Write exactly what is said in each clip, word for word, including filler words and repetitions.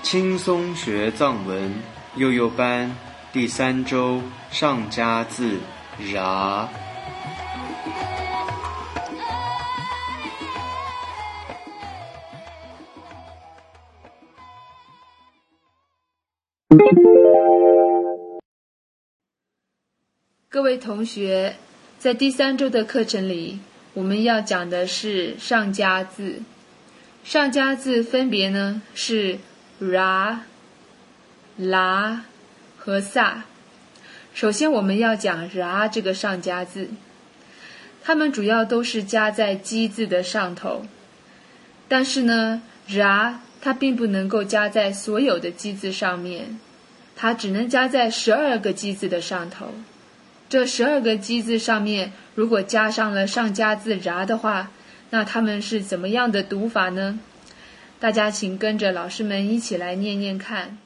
轻松学藏文幼幼班第三周上加字ra。各位同学，在第三周的课程里，我们要讲的是上加字。上加字分别呢是 ra、la 和 sa。首先我们要讲 ra 这个上加字，它们主要都是加在基字的上头，但是呢 ra 它并不能够加在所有的基字上面，它只能加在十二个基字的上头。这十二个基字上面如果加上了上加字 ra 的话，那它们是怎么样的读法呢？大家请跟着老师们一起来念念看。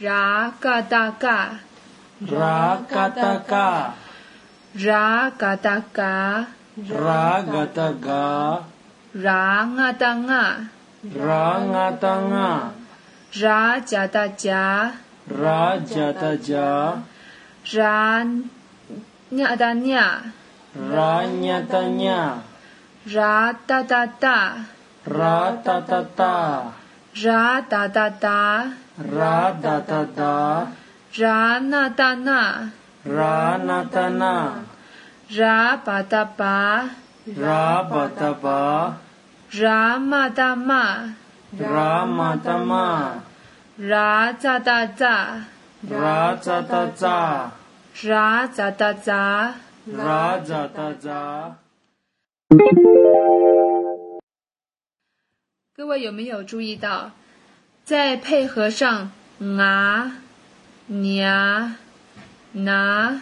ra ga da ga ra ga da ga ra ga da ga ra ga da ga ra nga da nga ra nga da nga ra ja da ja ra ja da ja ra nya da nya ra nya da nya ra da da da ra da da da ra da da da ra da da da ra na da na ra na da na ra ba da ba ra ba da ba ra ma da ma ra ma da ma ra za da za ra za da za ra za da za ra za da za。各位有没有注意到，在配合上啊、nya、na、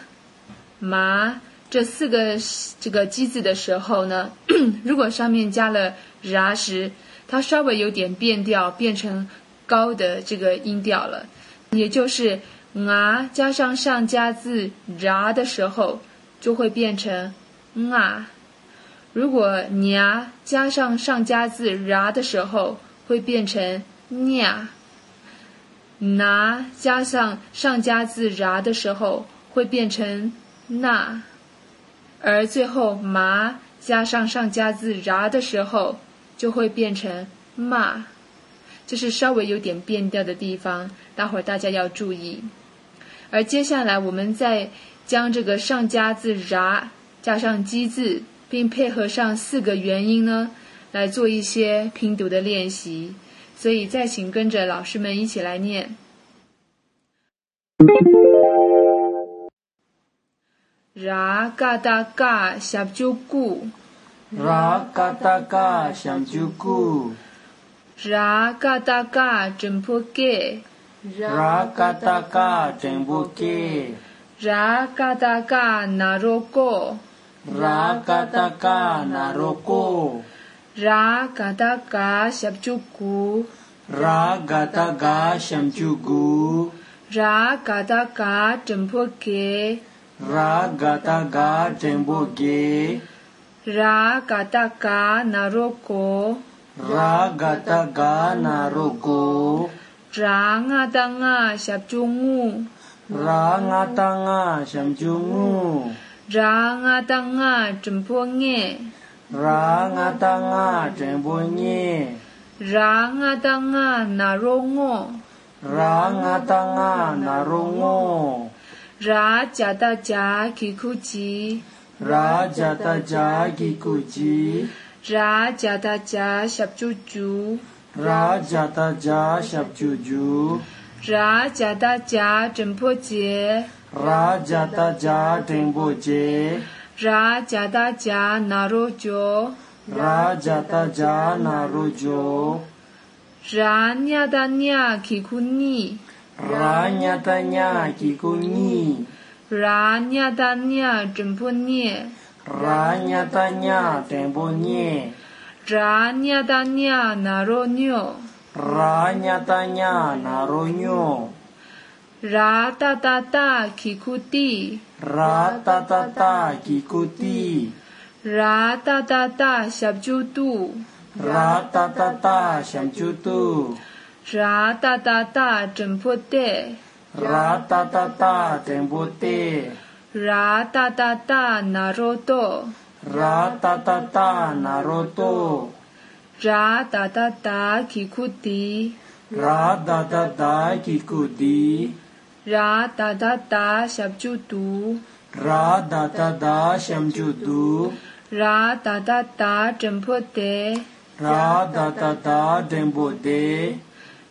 ma这四个这个基字的时候呢，如果上面加了 ra 时，它稍微有点变调，变成高的这个音调了，也就是啊加上上加字 ra 的时候，就会变成啊。如果 nya 加上上加字 ra 的时候，会变成 nya。na 加上上加字 ra 的时候，会变成 na。而最后 ma 加上上加字 ra 的时候，就会变成 ma。这是稍微有点变调的地方，待会儿大家要注意。而接下来我们再将这个上加字 ra 加上基字，并配合上四个元音呢，来做一些拼读的练习。所以再请跟着老师们一起来念。ra ga da ga xiap ju gu ra ga da ga xiap ju gu ra ga da ga zhen po ge ra ga da ga zhen po ge ra ga da ga na ro go ra ga da ga na ro go ra ga da ga xiap ju gu ra ga da ga xiap ju gu ra ga da ga zhen po ge ra ga da ga zhen po ge ra ga da ga na ro go ra ga da ga na ro go ra nga da nga xiap ju ngu ra nga da nga xiap ju ngu ra nga da nga zhen po nge ra nga da nga zhen po nye ra nga da nga na ro ngo ra nga da nga na ro ngo ra ja da ja ki ku ji ra ja da ja ki ku ji ra ja da ja xiap ju ju ra ja da ja xiap ju ju ra ja da ja zhen po jie ra ja da ja zhen po jie ra ja da ja na ro jo ra ja da ja na ro jo ra nya da nya ki ku ni ra nya da nya ki ku ni ra nya da nya zhen po nie ra nya da nya zhen po nie ra nya da nya na ro nyo ra nya da nya na ro nyo ra da da da ki ku di ra da da da ki ku di ra da da da xiap ju du Ra ta ta ta sham chu tu. Ra ta ta ta trần po tê. Ra ta ta ta trần po tê. Ra ta ta ta na ro tô. Ra ta ta ta na ro tô. Ra ta ta ta ki khu tí. Ra ta ta ta ki khu tí. Ra ta ta ta shab chu tú. Ra ta ta ta sham chu tú. Ra ta ta ta trần po tê. Ra ta ta ta trần po tê.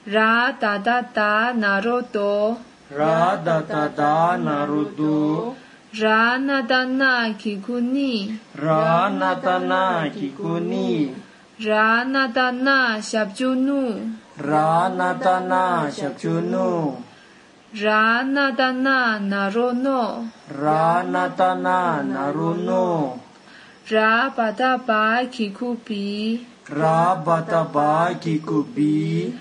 Ra ta ta ta na ro tô. Ra ta ta ta na ro tô. Ra na ta na ki khu ni. Ra na ta na ki khu ni. Ra na ta na shab chu nu. Ra na ta na shab chu nu. Ra na ta na na ro no. Ra na ta na na ro no. Ra pa ta pa ki khu pi. Ra ba ta ba ki khu bi.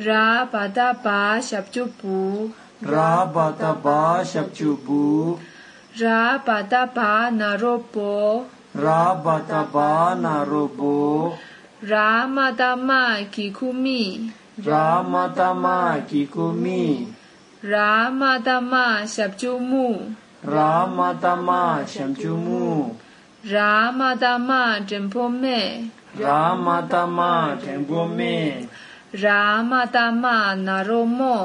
Ra pa ta pa shab chu pu. Ra ba ta ba shab chu bu. Ra pa ta pa na ro po. Ra ba ta ba na ro bo. Ra ma ta ma ki khu mi. Ra ma ta ma ki khu mi. Ra ma ta ma shab chu mu. Ra ma ta ma sham chu mu. Ra ma ta ma trần po me. Ra ma ta ma trần po me. Ra ma ta ma na ro mo.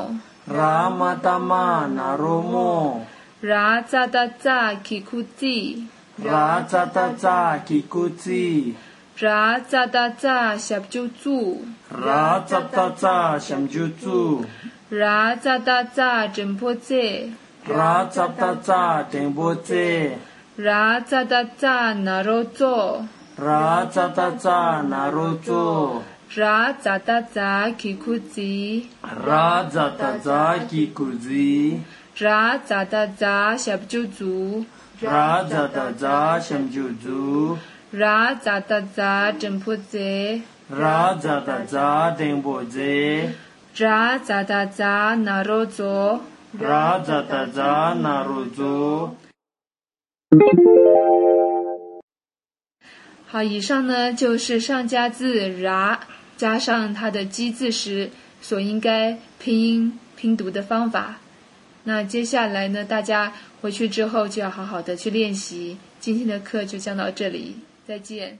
Ra ma ta ma na ro mo. Ra cha ta cha ki khu ti. Ra cha ta cha ki khu ti. Ra cha ta cha shab chu zu. Ra cha ta cha sham chu zu. Ra cha ta cha trần po tê. Ra cha ta cha trần po tê. Ra cha ta cha na ro tô. Ra cha ta cha na ro tô. Ra cha ta cha ki khu ti. Ra cha ta cha ki khu ti. Ra cha ta cha shab chu zu. Ra cha ta cha sham chu zu. Ra cha ta cha trần po tê. Ra cha ta cha trần po tê. Ra cha ta cha na ro tô. Ra cha ta cha na ro tô。好，以上呢就是上加字ra加上它的基字时所应该拼音拼读的方法。那接下来呢，大家回去之后就要好好的去练习。今天的课就讲到这里，再见。